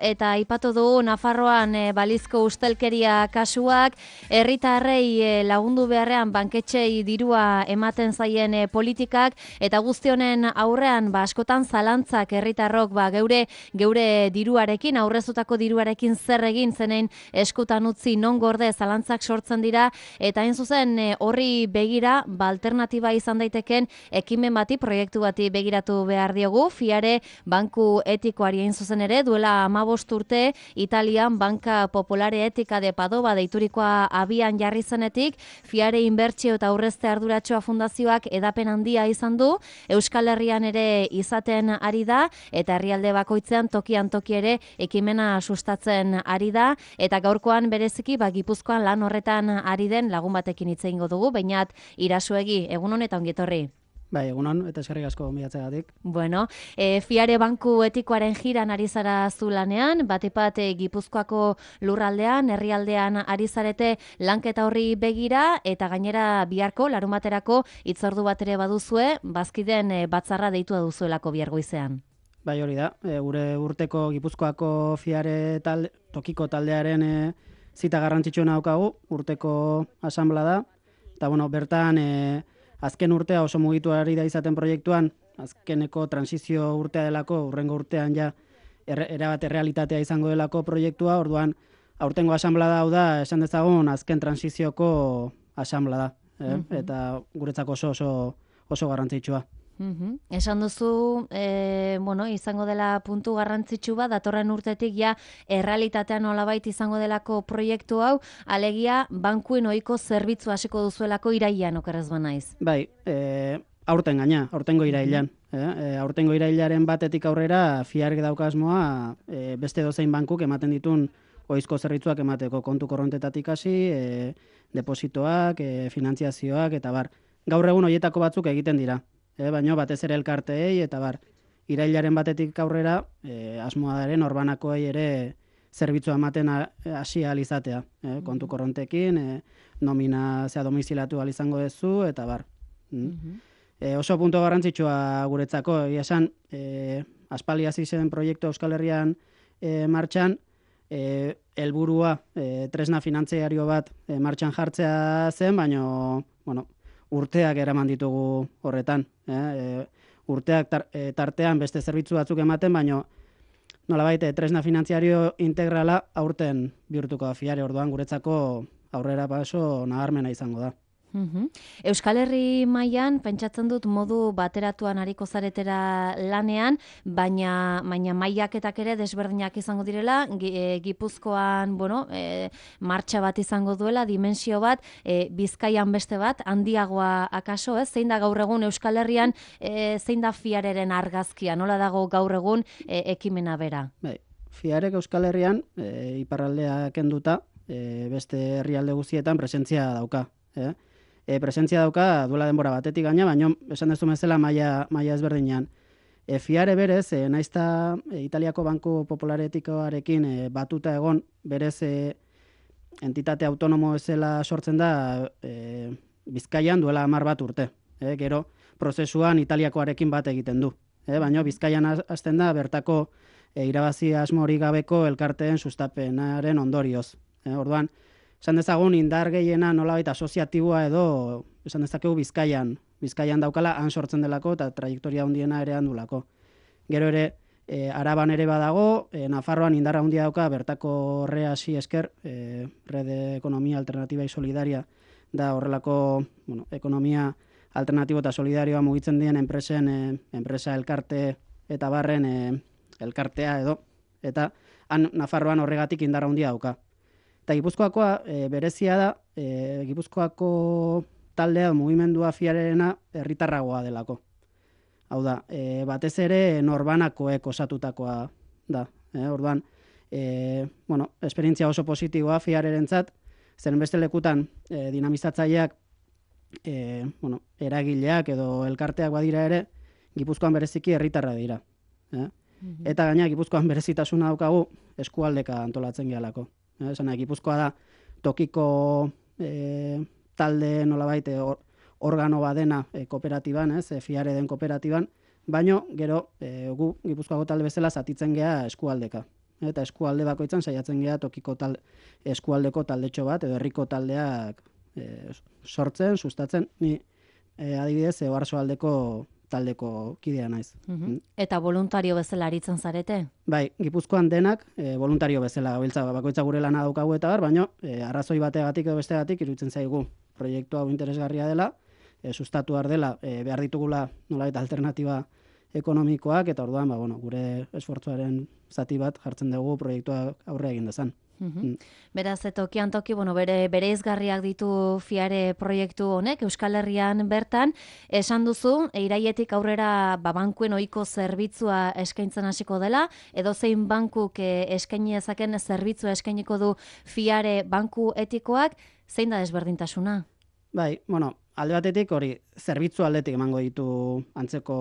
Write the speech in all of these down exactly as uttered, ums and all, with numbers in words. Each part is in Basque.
Eta aipatu du Nafarroan e, balizko ustelkeria kasuak, herritarrei e, lagundu beharrean banketxei dirua ematen zaien e, politikak, eta guzti honen aurrean ba, askotan zalantzak herritarrok ba, geure geure diruarekin, aurrezutako diruarekin zer egin zenein eskutan utzi non gorde zalantzak sortzen dira, eta hain zuzen e, horri begira ba, alternatiba izan daiteken ekimen bati, proiektu bati begiratu behar diogu, Fiare banku etikoari hain zuzen ere, duela hamabost urte Italian Banka Popolare Etika de Padova deiturikoa abian jarri zenetik, Fiare Inbertsio eta Aurrezte Arduratxoa Fundazioak edapen handia izan du, Euskal Herrian ere izaten ari da, eta herrialde bakoitzean tokian toki ere ekimena sustatzen ari da, eta gaurkoan bereziki ba, Gipuzkoan lan horretan ari den lagun batekin hitz egingo dugu, bainat Irasuegi, egun hon eta ongitorri. Bai, egunon, eta eskerrik asko gonbidatzeagatik. Bueno, e, Fiare banku etikoaren jiran ari zara zu lanean, batepat e, Gipuzkoako lurraldean, herrialdean ari zarete lanketa horri begira, eta gainera biharko, larumaterako hitzordu bat ere baduzue, bazkiden e, batzarra deitua duzuelako bihar goizean. Bai, hori da, e, gure urteko Gipuzkoako Fiare talde, tokiko taldearen e, zita garrantzitsua daukagu, urteko asanbla da, eta bueno, bertan e, azken urtea oso mugitu ari da izaten proiektuan, azkeneko transizio urtea delako, urrengo urtean ja er, erabat errealitatea izango delako proiektua, orduan aurtengo asanblada hau da, esan dezagun azken transizioko asanblada, eh? Mm-hmm. Eta guretzako oso oso, oso garrantzitsua. Mm-hmm. Esan duzu, e, bueno, izango dela puntu garrantzitsu bat, datorren urtetik ja errealitatean nolabait izango delako proiektu hau, alegia bankuen ohiko zerbitzu hasiko duzuelako irailean, okerrez banaiz. Bai, e, aurten gaina, aurtengo irailean. Eh? E, aurtengo irailaren batetik aurrera Fiarek dauka asmoa e, beste dozein bankuk ematen ditun ohizko zerbitzuak emateko, kontu korrontetatik hasi, e, depositoak, e, finantziazioak, eta bar. Gaur egun horietako batzuk egiten dira. E, baina batez ere elkarteei, eta bar, irailaren batetik aurrera, e, asmoa daren orbanakoei ere zerbitzua ematen hasi ahal izatea. E, kontu korrontekin, e, nomina zea domizilatu ahal izango duzu, eta bar. Mm. E, oso punto garrantzitsua guretzako, egia esan, e, aspaldi hasi zen proiektu Euskal Herrian e, martxan, e, helburua e, tresna finantziario bat e, martxan jartzea zen, baina, bueno, urteak eraman ditugu horretan. Eh? E, urteak tar, e, tartean beste zerbitzu batzuk ematen, baina nolabait tresna finantziario integrala aurten bihurtuko da Fiare, orduan guretzako aurrera paso nabarmena izango da. Uhum. Euskal Herri mailan pentsatzen dut modu bateratuan ariko zaretera lanean, baina baina mailaketak ere desberdinak izango direla, Gipuzkoan, bueno, e, martxa bat izango duela, dimensio bat, e, Bizkaian beste bat, handiagoa akaso, ez? Zein da gaur egun Euskal Herrian, e, zein da Fiareren argazkia, nola dago gaur egun e, ekimena bera? Bai, Fiarek Euskal Herrian, e, iparraldea kenduta, e, beste herrialde guztietan presentzia dauka, eh? E, presentzia dauka duela denbora batetik gaina, baina esan dezu bezala maila, maila ezberdinean. E, Fiare berez, e, naizta e, Italiako Banku Popolare Etikoarekin e, batuta egon, berez e, entitate autonomo ezela sortzen da e, Bizkaian duela hamar bat urte. E, gero prozesuan Italiakoarekin bat egiten du. E, baina Bizkaian hasten da bertako e, irabazi asmorik gabeko elkarteen sustapenaren ondorioz. E, orduan, esan dezagun indar gehiena nolabait asoziatiboa edo esan dezakegu Bizkaian. Bizkaian daukala han sortzen delako eta trajektoria handiena ere handulako. Gero ere, e, Araban ere badago, e, Nafarroan indarra handia dauka bertako horre hasi esker, e, Rede Ekonomia Alternativa y Solidaria da horrelako, bueno, ekonomia alternatibo eta solidarioa mugitzen dien enpresen, e, enpresa elkarte eta barren e, elkartea edo, eta han Nafarroan horregatik indarra handia dauka. Eta Gipuzkoakoa e, berezia da, e, Gipuzkoako taldea mugimendua Fiarerena herritarragoa delako. Hau da, e, batez ere norbanakoek osatutakoa da. E, orduan, e, bueno, esperientzia oso positiboa Fiarerentzat, zen beste lekutan e, dinamizatzaileak, e, bueno, eragileak edo elkarteak badira ere, Gipuzkoan bereziki herritarra dira. E? Mm-hmm. Eta gaina Gipuzkoan berezitasuna daukagu eskualdeka antolatzen gehalako. Esan, Gipuzkoa da tokiko e, talde nolabait or, organo badena e, kooperatiban, ez, e, Fiare den kooperatiban, baino gero e, gu Gipuzkoako talde bezala zatitzen gea eskualdeka. eta eskualde bakoitzan saiatzen gea tokiko tal, eskualdeko taldetxo bat, edo herriko taldeak e, sortzen, sustatzen, ni e, adibidez, Oarsoaldeko taldeko kidea naiz. Mm-hmm. Eta voluntario bezala aritzen zarete? Bai, Gipuzkoan denak e, voluntario bezala gabiltza, bakoitza gure lana daukagu eta bar, baina e, arrazoi bategatik edo bestegatik iruditzen zaigu proiektu hau interesgarria dela, e, sustatu behar dela, e, behar ditugula nolabait alternatiba ekonomikoak, eta orduan, ba, bueno, gure esfortzuaren zati bat jartzen dugu proiektua aurre egin dezan. Mm-hmm. Mm. Beraz, tokian toki, bueno, bere bereizgarriak ditu Fiare proiektu honek, Euskal Herrian bertan, esan duzu, iraietik aurrera ba, bankuen ohiko zerbitzua eskaintzen hasiko dela, edo zein bankuk eh, eskaini dezaken zerbitzua eskainiko du Fiare banku etikoak, zein da desberdintasuna? Bai, bueno, alde batetik hori, zerbitzu aldetik emango ditu antzeko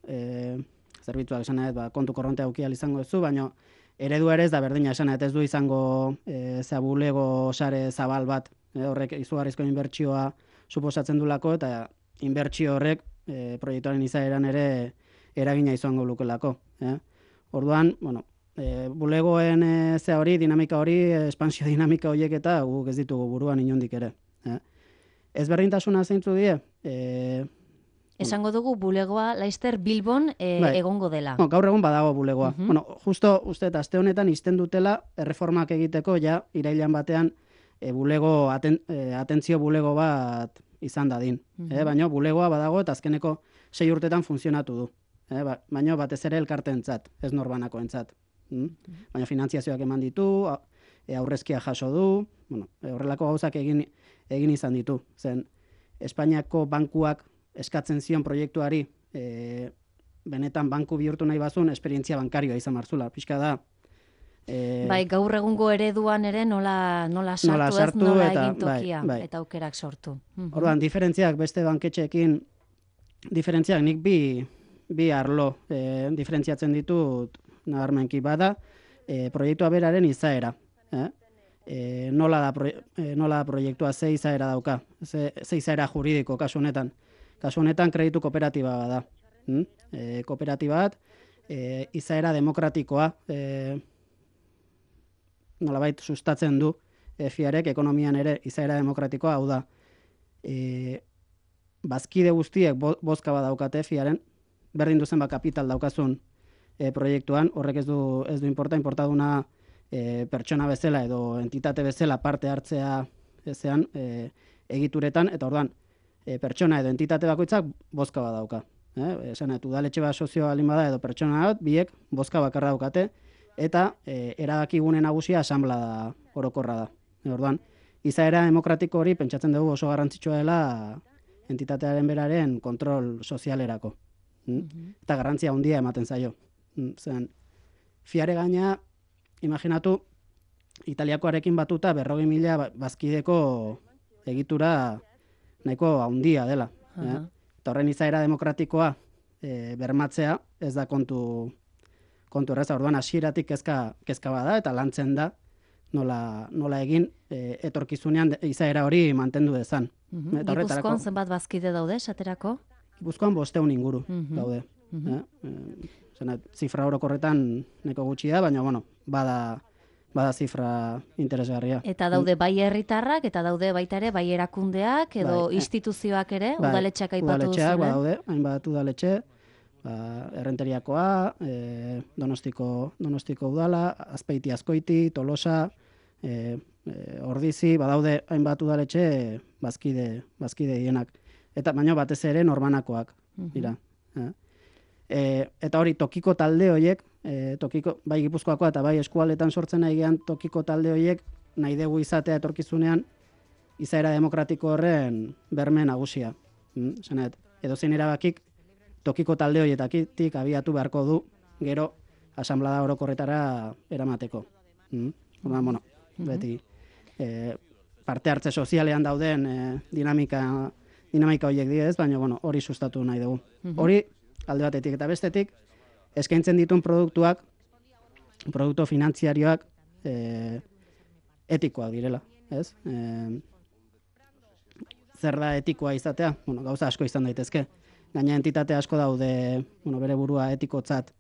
e, zerbitzuak esan nahi, ba, kontu korrontea aukial izango duzu, baina eredu ere ez da berdina esan, eta ez du izango e, zabulego sare zabal bat, e, horrek izugarrizko inbertsioa suposatzen dulako, eta inbertsio horrek e, proiektuaren izaeran ere eragina izango lukelako. E. Orduan, bueno, e, bulegoen e, ze hori, dinamika hori, espansio dinamika horiek eta guk ez ditugu buruan inondik ere. E. Ez berdintasuna zeintzu die, e, esango dugu bulegoa Laister Bilbon e, bai. Egongo dela. No, gaur egun badago bulegoa. Uh-huh. Bueno, justo uste eta aste honetan izten dutela erreformak egiteko ja irailean batean e, bulego aten, e, atentzio bulego bat izan dadin. Uh-huh. E, baina bulegoa badago eta azkeneko sei urtetan funtzionatu du. E, ba, baina batez ere elkarteentzat, ez norbanakoentzat. Mm? Uh-huh. Baina finantziazioak eman ditu, e, aurrezkia jaso du, bueno, e, horrelako gauzak egin, egin izan ditu. Zen, Espainiako bankuak eskatzen zion proiektuari e, benetan banku bihurtu nahi bazun, esperientzia bankarioa izan marzula. Pixka da. E, bai, gaur egungo ereduan ere nola, nola sartu, nola sartu ez, nola eta, egin tokia, bai, bai. Eta aukerak sortu. Orduan, diferentziak beste banketxeekin, diferentziak nik bi, bi arlo e, diferentziatzen ditut nabarmenki bada, e, proiektua beraren izaera. Eh? E, nola, da proie, e, nola da proiektua, ze izaera dauka, ze, ze izaera juridiko kasu honetan. Kasu honetan kreditu kooperatiba da. Hmm? E, kooperatiba bat, e, izaera demokratikoa, e, nolabait sustatzen du e, Fiarek ekonomian ere izaera demokratikoa, hau da, e, bazkide guztiek bo, bozka bat daukate Fiaren, berdin duzen ba kapital daukazun e, proiektuan, horrek ez du, ez du importa, importaduna e, pertsona bezala edo entitate bezala parte hartzea ezean e, egituretan, eta orduan, E, pertsona edo entitate bakoitzak bozka bat dauka. Eh? Esan, udaletxe bat sozio alin bada edo pertsona bat, biek bozka bakarra daukate, eta e, erabakigune nagusia asanbla da, orokorra da. E, orduan, izaera demokratiko hori pentsatzen dugu oso garrantzitsua dela entitatearen beraren kontrol sozialerako. Mm? Mm-hmm. Eta garrantzia handia ematen zaio. Mm? Zen, Fiare gaina, imaginatu, Italiakoarekin batuta berrogei mila bazkideko egitura nahiko handia dela. Uh-huh. eh? Eta horren izaera demokratikoa e, bermatzea ez da kontu kontu erreza. Orduan hasieratik kezka, kezka bada eta lantzen da nola, nola egin e, etorkizunean izaera hori mantendu dezan. Uh-huh. Gipuzkoan zenbat bazkide daude, esaterako? Gipuzkoan bosteun inguru uh-huh. daude. Uh-huh. Eh? E, zena, zifra orokorretan neko gutxi da, baina bueno, bada bada zifra interesgarria. Eta daude bai herritarrak, eta daude baita ere bai erakundeak, edo bai, instituzioak ere, bai, udaletxeak aipatu duzu. Udaletxeak, badaude, hainbat udaletxe, ba, errenteriakoa, e, donostiko, donostiko udala, Azpeiti Azkoiti, Tolosa, e, e, Ordizi, badaude hainbat udaletxe bazkide, bazkide dienak. Eta baina batez ere norbanakoak, dira. Uh-huh. e, eta hori tokiko talde horiek, E, tokiko, bai Gipuzkoakoa eta bai eskualdetan sortzen nahi gehan tokiko talde horiek nahi dugu izatea etorkizunean izaera demokratiko horren berme nagusia. Mm? Zenet, edo zein erabakik tokiko talde horietatik abiatu beharko du gero asanblada orokorretara eramateko. Mm? Orduan, bueno, beti e, parte hartze sozialean dauden e, dinamika, dinamika horiek dira ez, baina bueno, hori sustatu nahi dugu. Hori alde batetik eta bestetik, eskaintzen dituen produktuak, produktu finantziarioak e, etikoak direla, ez? E, zer da etikoa izatea? Bueno, gauza asko izan daitezke. Gaina entitate asko daude, bueno, bere burua etikotzat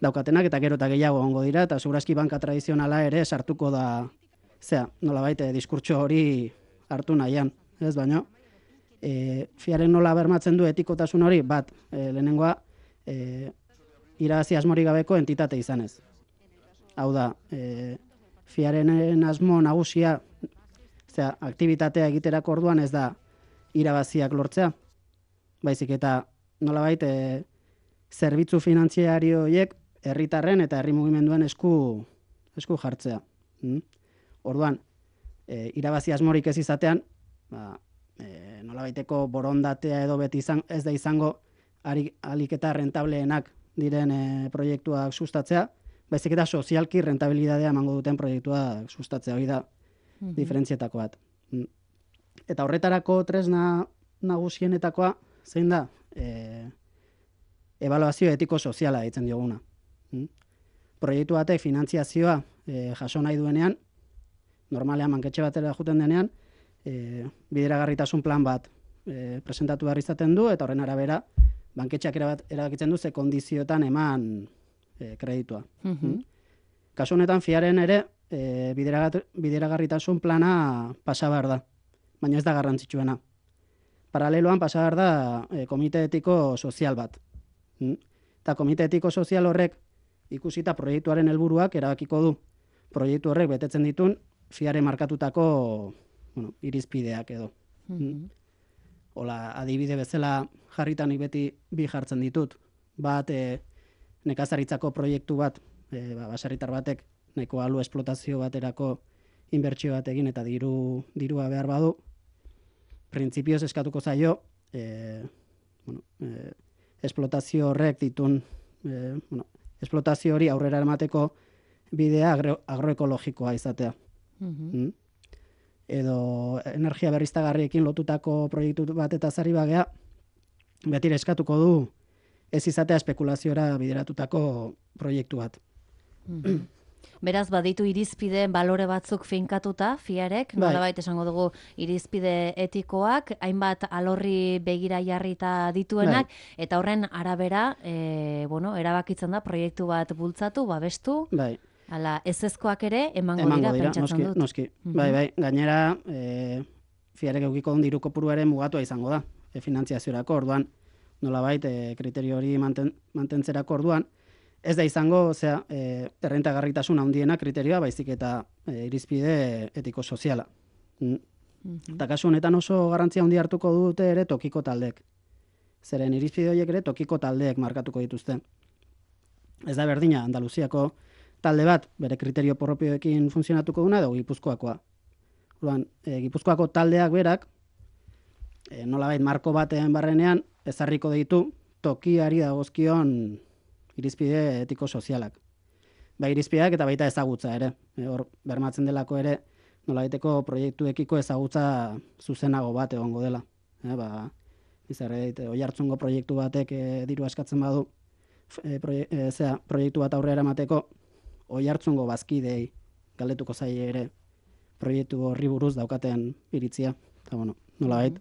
daukatenak, eta gero eta gehiago ongo dira, eta segurazki banka tradizionala ere sartuko da, zera, nolabait, diskurtso hori hartu nahian, ez baino, e, fiaren nola bermatzen du etikotasun hori, bat, e, lehenengoa, e, irabazi asmorik gabeko entitate izanez. Hau da, e, fiaren asmo nagusia, zera, aktibitatea egiterako orduan ez da irabaziak lortzea, baizik eta nolabait e, zerbitzu finantziario horiek herritarren eta herri mugimenduen esku, esku jartzea. Mm? Orduan, e, irabazi asmorik ez izatean, ba, e, nolabaiteko borondatea edo beti izan, ez da izango alik eta rentableenak diren e, proiektuak sustatzea, baizik eta sozialki rentabilidadea emango duten proiektuak sustatzea, hori da mm-hmm. diferentzietako bat. Mm. Eta horretarako tresna nagusienetakoa, zein da? E, ebaluazio etiko soziala ditzen dioguna. Mm? Proiektu batek finantziazioa e, jaso nahi duenean, normalean banketxe batera juten denean, e, bideragarritasun plan bat e, presentatu behar izaten du, eta horren arabera, banketxeak erabakitzen du ze kondizioetan eman e, kreditua. Mm-hmm. Mm? Kasu honetan fiaren ere, e, bideragarritasun plana pasa behar da, baina ez da garrantzitsuena. Paraleloan pasa behar da e, komite etiko sozial bat. Mm? Eta komite etiko sozial horrek ikusita proiektuaren helburuak erabakiko du. Proiektu horrek betetzen ditun fiare markatutako bueno, irizpideak edo. Mm-hmm. Hola, adibide bezala jarritan beti bi jartzen ditut. Bat, e, nekazaritzako proiektu bat, e, ba, baserritar batek nahiko alu esplotazio baterako inbertsio bat egin eta diru, dirua behar badu, printzipioz eskatuko zaio, e, bueno, e, esplotazio horrek ditun, e, bueno, esplotazio hori aurrera emateko bidea agro, agroekologikoa izatea. Mm-hmm. Mm? Edo energia berriztagarriekin lotutako proiektu bat eta zari bagea, betire eskatuko du ez izatea espekulaziora bideratutako proiektu bat. Mm-hmm. Beraz, baditu irizpide balore batzuk finkatuta, fiarek, bai. Nolabait esango dugu irizpide etikoak, hainbat alorri begira jarrita dituenak, bai. Eta horren arabera, e, bueno, erabakitzen da proiektu bat bultzatu, babestu, bai. Ala, ezezkoak ere emango, emango dira, dira, pentsatzen noski, dut. Noski. Mm-hmm. Bai, bai, gainera, e, fiarek eukiko duen diru kopuruaren mugatua izango da, e, finantziaziorako orduan, nolabait, e, kriterio hori manten, mantentzerako orduan, ez da izango, osea, e, errentagarritasun handiena kriterioa, baizik eta e, irizpide etiko soziala. Mm. Mm-hmm. Eta kasu honetan oso garrantzia handi hartuko dute ere tokiko taldek. Zeren irizpide horiek ere tokiko taldeek markatuko dituzte. Ez da berdina, Andaluziako talde bat, bere kriterio propioekin funtzionatuko duna, edo Gipuzkoakoa. Orduan, e, Gipuzkoako taldeak berak, e, nolabait marko baten barrenean, ezarriko ditu tokiari dagozkion irizpide etiko sozialak. Ba, irizpideak eta baita ezagutza ere. E, hor, bermatzen delako ere, nolabaiteko proiektuekiko ezagutza zuzenago bat egongo dela. E, ba, izarre dit, oihartzungo proiektu batek e, diru askatzen badu, e, proie, e, zera, proiektu bat aurrera emateko, oihartzungo bazkidei galdetuko zaie ere proiektu horri buruz daukaten iritzia. Eta, bueno, nolabait,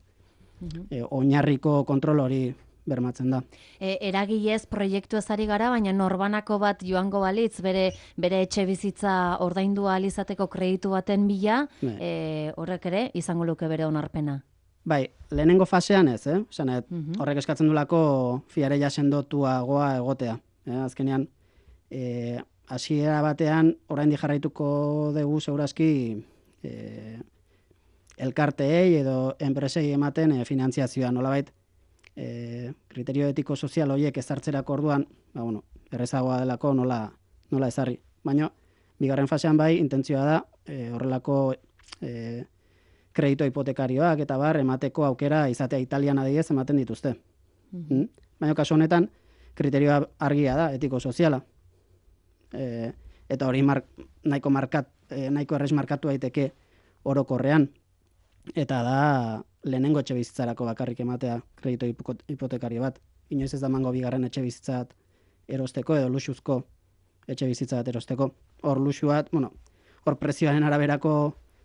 mm-hmm. e, oinarriko kontrol hori bermatzen da. E, eragilez proiektu ezari gara, baina norbanako bat joango balitz, bere, bere etxe bizitza ordaindu ahal izateko kreditu baten bila, e, horrek ere izango luke bere onarpena. Bai, lehenengo fasean ez, eh? Zanet, mm-hmm. horrek eskatzen dulako fiare jasendotuagoa egotea. Eh? Azkenean, e, hasiera batean, oraindik jarraituko dugu segurazki e, elkarteei edo enpresei ematen e, finantziazioa, nolabait, e, kriterio etiko sozial horiek ezartzerako orduan, ba, bueno, errezagoa delako nola, nola ezarri. Baina, bigarren fasean bai, intentzioa da, e, horrelako e, kredito hipotekarioak eta bar, emateko aukera izatea Italian adibidez ematen dituzte. Mm-hmm. Mm? Baina, kasu honetan, kriterioa argia da, etiko soziala. E, eta hori mar, nahiko, markat, e, nahiko errez markatu daiteke orokorrean. Eta da, lehenengo etxe bizitzarako bakarrik ematea kredito hipotekario bat. Inoiz ez da mango bigarren etxe bizitzat erosteko edo luxuzko etxe bizitzat erosteko. Hor luxu bat, bueno, hor prezioaren araberako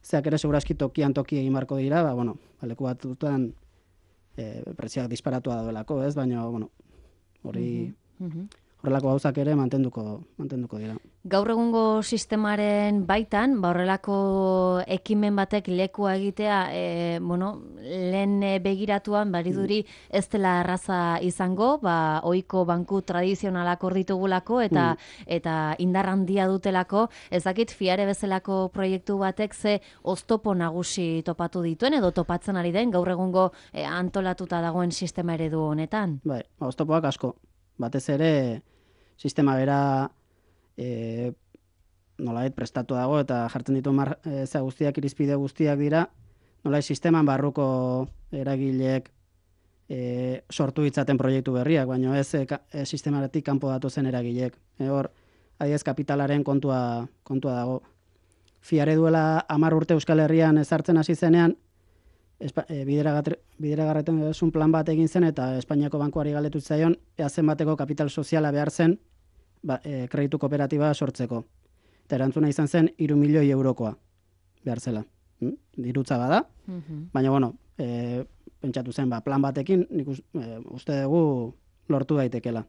zeak ere segurazki tokian toki egin marko dira, ba, bueno, leku bat dutan e, prezioak disparatua daudelako, ez? Baina, bueno, hori... Mm-hmm. horrelako gauzak ere mantenduko, mantenduko dira. Gaur egungo sistemaren baitan, ba horrelako ekimen batek lekua egitea, e, bueno, lehen begiratuan bariduri ez dela erraza izango, ba ohiko banku tradizionalak hor ditugulako eta mm. eta indar handia dutelako, ez dakit Fiare bezalako proiektu batek ze oztopo nagusi topatu dituen edo topatzen ari den gaur egungo e, antolatuta dagoen sistema eredu honetan. Bai, ba, oztopoak asko. Batez ere sistema bera E, nolait prestatu dago eta jartzen ditu mar, e, za guztiak, irizpide guztiak dira, nolait sisteman barruko eragileek e, sortu ditzaten proiektu berriak, baina ez e, e, sistematik kanpo datozen eragileek. E, hor, adiez kapitalaren kontua, kontua dago. Fiare duela hamar urte Euskal Herrian ezartzen hasi zenean, e, bideragarretasun plan bat egin zen eta Espainiako bankuari galdetu zaion, ea zenbateko kapital soziala behar zen, Ba, e, kreditu kooperatiba sortzeko. Eta erantzuna izan zen hiru milioi eurokoa behar zela. Hm? Dirutza bada, mm-hmm. baina bueno, e, pentsatu zen, ba, plan batekin, nik uz, e, uste dugu lortu daitekela.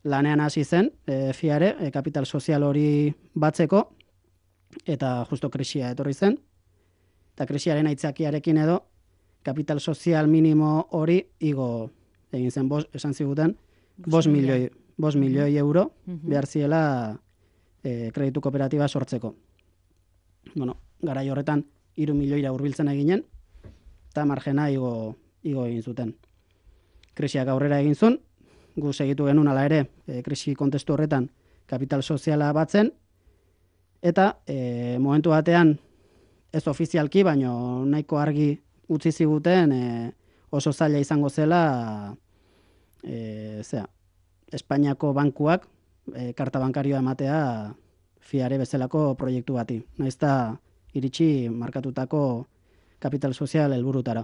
Lanean hasi zen, e, Fiare, e, kapital sozial hori batzeko, eta justo krisia etorri zen, eta krisiaren aitzakiarekin edo, kapital sozial minimo hori igo egin zen, bos, esan ziguten, bos milioi. Bos milioi euro behar ziela e, kreditu kooperatiba sortzeko. Bueno, garai horretan hiru milioira hurbiltzen eginen, eta margena igo, igo egin zuten. Krisiak aurrera egin zuen, gu segitu genuen ala ere, e, krisi kontestu horretan kapital soziala batzen, eta e, momentu batean ez ofizialki, baino nahiko argi utzi ziguten e, oso zaila izango zela e, zera, Espainiako bankuak e, karta bankarioa ematea Fiare bezalako proiektu bati. Naiz eta iritsi markatutako kapital sozial helburutara.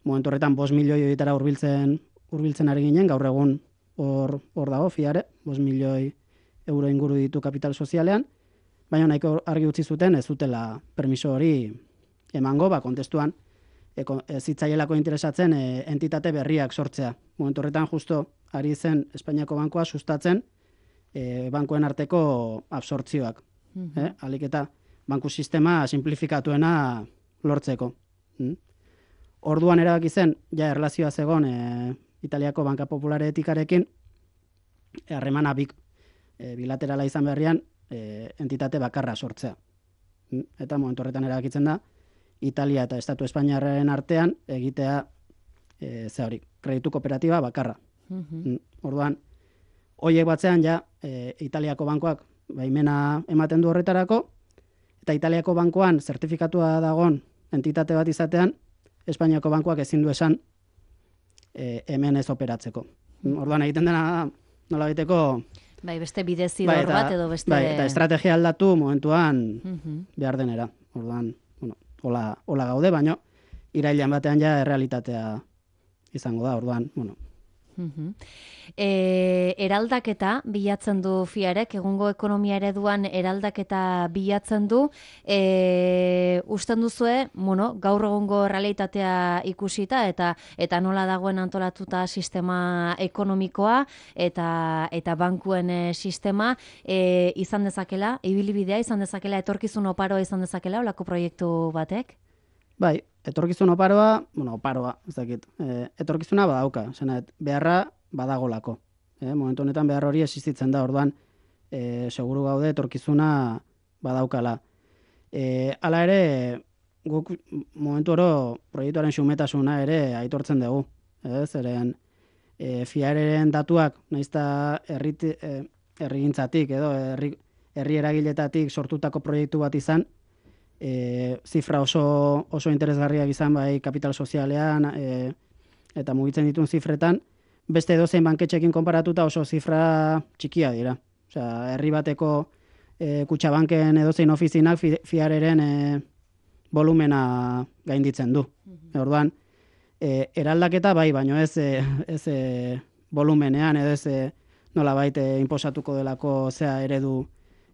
Momentu horretan bost milioi horietara hurbiltzen hurbiltzen ari ginen, gaur egun hor hor dago Fiare, bost milioi euro inguru ditu kapital sozialean, baina nahiko argi utzi zuten ez zutela permiso hori emango, ba kontestuan ez zitzaielako interesatzen e, entitate berriak sortzea. Momentu horretan justo ari zen Espainiako bankua sustatzen e, bankuen arteko absortzioak. Mm-hmm. eh? Alik eta banku sistema simplifikatuena lortzeko. Mm? Orduan erabaki zen, ja erlazioa zegon e, Italiako Banka Populare etikarekin, harremana bik e, bilaterala izan berrian e, entitate bakarra sortzea. Mm? Eta momentu horretan erabakitzen da, Italia eta Estatu Espainiarraren artean egitea e, ze hori, kreditu kooperatiba bakarra. Mm-hmm. Orduan, hoiek batzean ja e, Italiako bankoak baimena ematen du horretarako, eta Italiako bankoan zertifikatua dagon entitate bat izatean, Espainiako bankoak ezin du esan e, hemen ez operatzeko. Orduan egiten dena nola baiteko bai, beste bidezidor bai, bat edo beste... Bai, eta estrategia aldatu momentuan mm-hmm. behar denera. Orduan, bueno, hola, hola gaude, baino irailean batean ja errealitatea izango da, orduan, bueno. Uh-huh. E, eraldaketa bilatzen du Fiarek, egungo ekonomia ereduan eraldaketa bilatzen du, e, usten duzue, bueno, gaur egungo realitatea ikusita eta eta nola dagoen antolatuta sistema ekonomikoa eta eta bankuen e, sistema e, izan dezakela, ibilbidea izan dezakela, etorkizun oparoa izan dezakela olako proiektu batek? Bai, etorkizun oparoa, bueno, oparoa, ez dakit, e, etorkizuna badauka, zena, beharra badagolako. E, momentu honetan behar hori existitzen da, orduan, e, seguru gaude etorkizuna badaukala. E, hala ere, guk momentu oro proiektuaren xumetasuna ere aitortzen dugu. Ez, eren, e, Fiareren datuak, naizta herri e, herrigintzatik edo herri, herri eragiletatik sortutako proiektu bat izan, E, zifra oso, oso interesgarriak izan bai kapital sozialean e, eta mugitzen dituen zifretan, beste edozein banketxekin konparatuta oso zifra txikia dira. Osea, herri bateko e, Kutxabanken edozein ofizinak fi, Fiareren e, volumena gainditzen du. Mm-hmm. Orduan, e, eraldaketa bai, baino ez, e, ez e, volumenean edo ez e, nolabait e, inposatuko delako zea eredu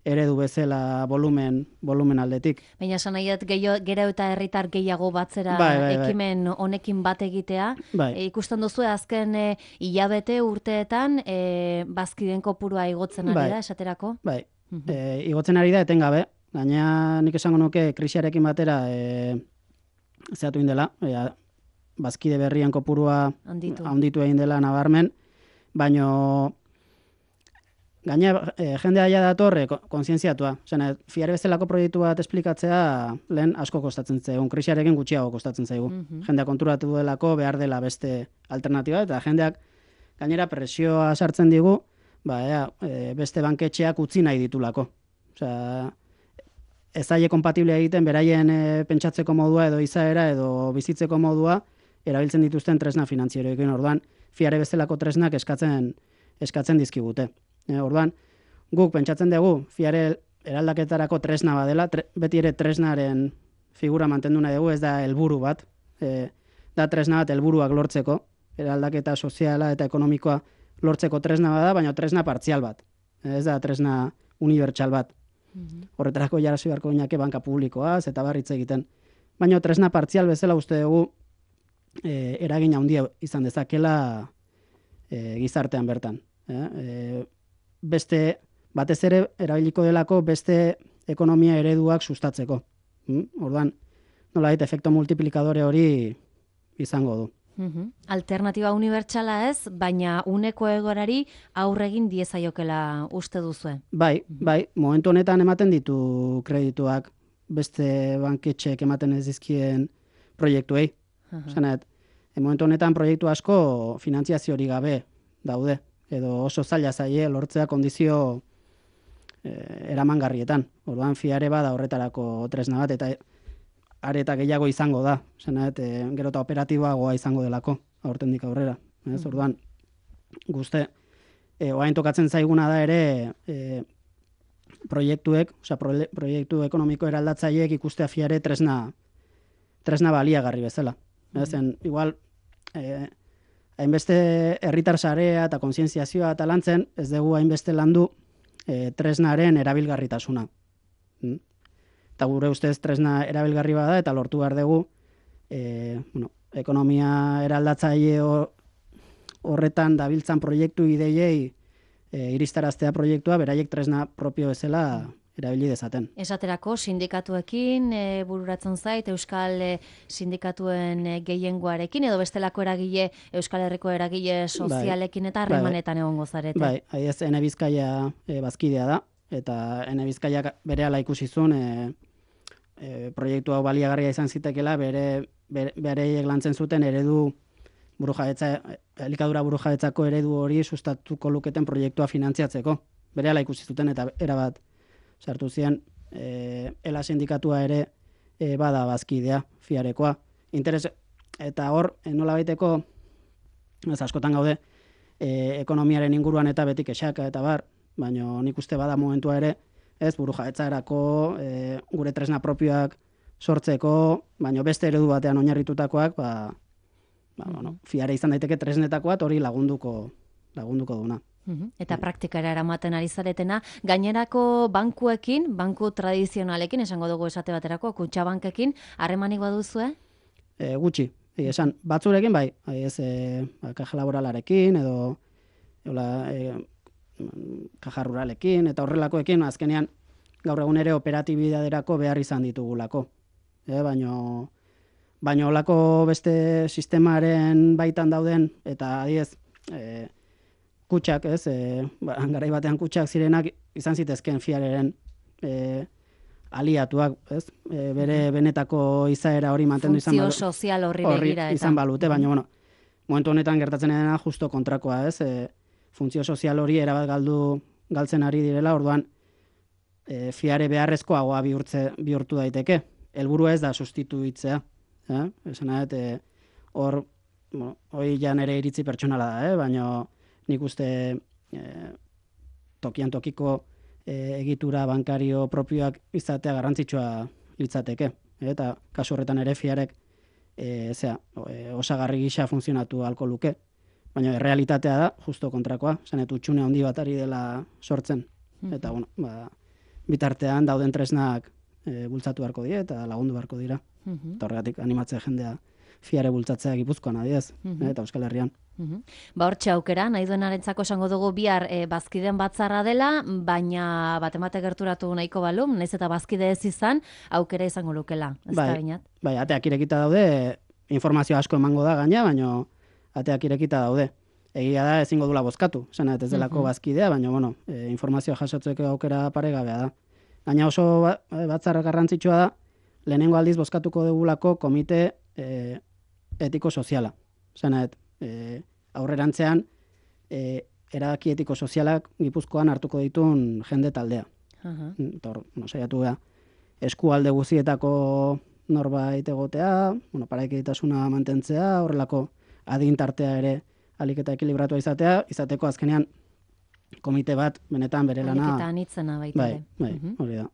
eredu bezala volumen, volumen aldetik. Baina esan nahiat gero eta herritar gehiago batzera bai, bai, bai. ekimen honekin bat egitea. Bai. E, ikusten duzu azken e, hilabete urteetan e, bazkideen kopurua igotzen ari bai. da, esaterako? Bai, Mhm. e, igotzen ari da etengabe. Gaina nik esango nuke krisiarekin batera e, zehatu indela, e, bazkide berrien kopurua Handitu. handitu egin dela nabarmen, baino gaina e, jendea ja dator e, kontzientziatua. Osea, fiare bezalako proiektu bat esplikatzea lehen asko kostatzen zaigun, krisiarekin gutxiago kostatzen zaigu. Mhm. Jendea konturatu duelako behar dela beste alternatiba, eta jendeak gainera presioa sartzen digu, ba, ea, e, beste banketxeak utzi nahi ditulako. Osea, ez zaie kompatible egiten beraien e, pentsatzeko modua edo izaera edo bizitzeko modua erabiltzen dituzten tresna finantzieroekin. Orduan, fiare bezalako tresnak eskatzen eskatzen dizkigute. E, orduan, guk pentsatzen dugu fiare eraldaketarako tresna badela, tre, beti ere tresnaren figura mantendu nahi dugu, ez da helburu bat, e, da tresna bat helburuak lortzeko, eraldaketa soziala eta ekonomikoa lortzeko tresna bada, baina tresna partzial bat. Ez da tresna unibertsal bat. Horretarako jarasi beharko ginake banka publikoaz eta barritz egiten. Baina tresna partzial bezala uste dugu e, eragin handia izan dezakela e, gizartean bertan. E, e, beste, batez ere erabiliko delako beste ekonomia ereduak sustatzeko. Mm? Orduan, nolabait efekto multiplikadore hori izango du. Uhum. Alternatiba unibertsala ez, baina uneko egorari aurregin diezaiokela uste duzue. Bai, bai, momentu honetan ematen ditu kredituak beste banketxeek ematen ez dizkien proiektuei. Zanet, momentu honetan proiektu asko finantziazio hori gabe daude, edo oso zaila zaie lortzea kondizio eh, eramangarrietan. Orduan fiare bada horretarako tresna bat, eta areta gehiago izango da. Zanet, e, gero eta operatiboagoa izango delako, aurtendik aurrera. Ez? Orduan, guzte, e, oain tokatzen zaiguna da ere e, proiektuek, osea, proiektu ekonomiko eraldatzaileek ikustea fiare tresna, tresna baliagarri bezala. Ezen, igual, e, hainbeste herritar sarea eta kontzientziazioa eta lantzen, ez dugu hainbeste landu e, tresnaren erabilgarritasuna. Mm? Eta gure ustez tresna erabilgarri bada eta lortu behar dugu e, bueno, ekonomia eraldatzaile horretan dabiltzan proiektu ideiei e, iristaraztea proiektua beraiek tresna propio bezala erabili dezaten. Esaterako sindikatuekin e, bururatzen zait, Euskal e, sindikatuen e, gehiengoarekin, edo bestelako eragile, Euskal Herriko eragile sozialekin eta harremanetan egongo zarete. Bai, aiez, Ene Bizkaia e, bazkidea da, eta Ene Bizkaiak berehala ikusi zuen e, e, proiektu hau baliagarria izan zitekela, bere bereiek lantzen zuten eredu burujabetza, elikadura burujabetzako eredu hori sustatuko luketen proiektua finantziatzeko. Berehala ikusi zuten eta erabat sartu ziren e, ela sindikatua ere e, bada bazkidea, fiarekoa. Interes, eta hor, e, nola baiteko, ez askotan gaude, e, ekonomiaren inguruan eta betik esaka eta bar, baina nik uste bada momentua ere, ez burujabetzarako e, gure tresna propioak sortzeko, baina beste eredu batean oinarritutakoak, ba, ba, bueno, fiare izan daiteke tresnetakoat hori lagunduko, lagunduko duna. Eta praktikara eramaten ari zaretena, gainerako bankuekin, banku tradizionalekin, esango dugu esate baterako, kutxabankekin, harremanik baduzue? E, gutxi, e, esan, batzurekin bai, ez, e, kaja laboralarekin, edo, eola, e, kaja ruralekin, eta horrelakoekin, azkenean, gaur egun ere operatibidaderako behar izan ditugulako. E, baino, baino olako beste sistemaren baitan dauden, eta adiez, e, kutxak, ez, e, ba, garai batean kutxak zirenak izan zitezken fiareren e, aliatuak, ez, e, bere benetako izaera hori mantendu izan balu. Funtzio sozial horri begira. Izan balute, baina, bueno, momentu honetan gertatzen dena justo kontrakoa, ez, e, funtzio sozial hori erabat galdu galtzen ari direla, orduan e, fiare beharrezkoagoa bihurtze, bihurtu daiteke. Helburua ez da sustituitzea, eh? Esan nahet, e, hor, bueno, hoi ja nere iritzi pertsonala da, eh? Baina nik uste e, tokian tokiko e, egitura bankario propioak izatea garrantzitsua litzateke. E, eta kasu horretan ere fiarek e, zera, e, osagarri gisa funtzionatu ahalko luke. Baina errealitatea da, justo kontrakoa, zanet utxune handi bat ari dela sortzen. Eta bueno, ba, bitartean dauden tresnak e, bultzatu beharko die eta lagundu beharko dira. Mhm. Eta horregatik animatzea jendea fiare bultzatzea Gipuzkoan adiez, Mhm. eta Euskal Herrian. Mhm. Ba hortxe aukera, nahi duenarentzako esango dugu bihar e, bazkideen batzarra dela, baina batemate gerturatu nahiko balum, naiz eta bazkide ez izan, aukera izango lukela, ez da Bai, binat? bai, ateak irekita daude, informazio asko emango da gaina, baina ateak irekita daude. Egia da ezingo dula bozkatu, esan ez delako Mhm. bazkidea, baina bueno, e, informazioa jasotzeko aukera paregabea da. Gaina oso ba, batzarra garrantzitsua da, lehenengo aldiz bozkatuko dugulako komite e, etiko soziala. Esan ez, e, aurrerantzean e, erabaki etiko sozialak Gipuzkoan hartuko ditun jende taldea. Aha. Eta hor, bueno, saiatu geha, eskualde guztietako norbait egotea, bueno, parekeitasuna mantentzea, horrelako adintartea ere ahalik eta ekilibratua izatea, izateko azkenean komite bat benetan bere lana. Ahalik eta anitzena baita Bai, ere. bai, Mhm. hori da.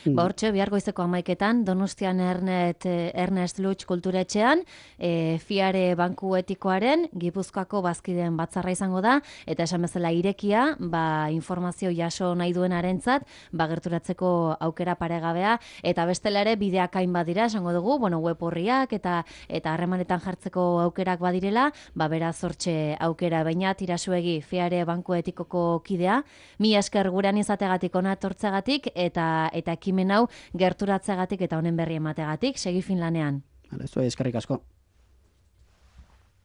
Ba hortxe, bihar goizeko amaiketan, Donostian Ernet, eh, Ernest Lutz kulturetxean, e, Fiare Banku Etikoaren, Gipuzkoako bazkideen batzarra izango da, eta esan bezala irekia, ba, informazio jaso nahi duenarentzat, ba, gerturatzeko aukera paregabea, eta bestela ere bideak hain badira, esango dugu, bueno, web horriak, eta eta harremanetan jartzeko aukerak badirela, ba, beraz hortxe aukera, baina tirasuegi Fiare Banku Etikoko kidea, mi esker gurean izategatik, ona etortzegatik, eta eta ekimen hau gerturatzeagatik eta honen berri emateagatik, segi fin lanean. Vale, zuei eskerrik asko.